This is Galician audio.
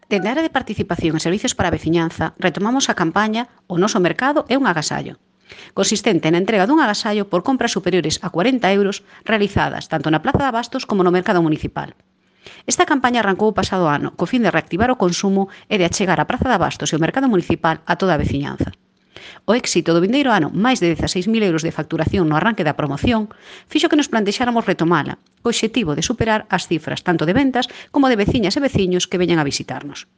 Dende a área de participación e servizos para a veciñanza, retomamos a campaña O noso mercado é un agasallo, consistente na entrega dun agasallo por compras superiores a 40 euros realizadas tanto na Plaza de Abastos como no mercado municipal. Esta campaña arrancou o pasado ano co fin de reactivar o consumo e de achegar a Praza de Abastos e o mercado municipal a toda a veciñanza. O éxito do vindeiro ano, máis de 16.000 euros de facturación no arranque da promoción, fixo que nos plantexáramos retomala, co obxectivo de superar as cifras tanto de ventas como de veciñas e veciños que veñan a visitarnos.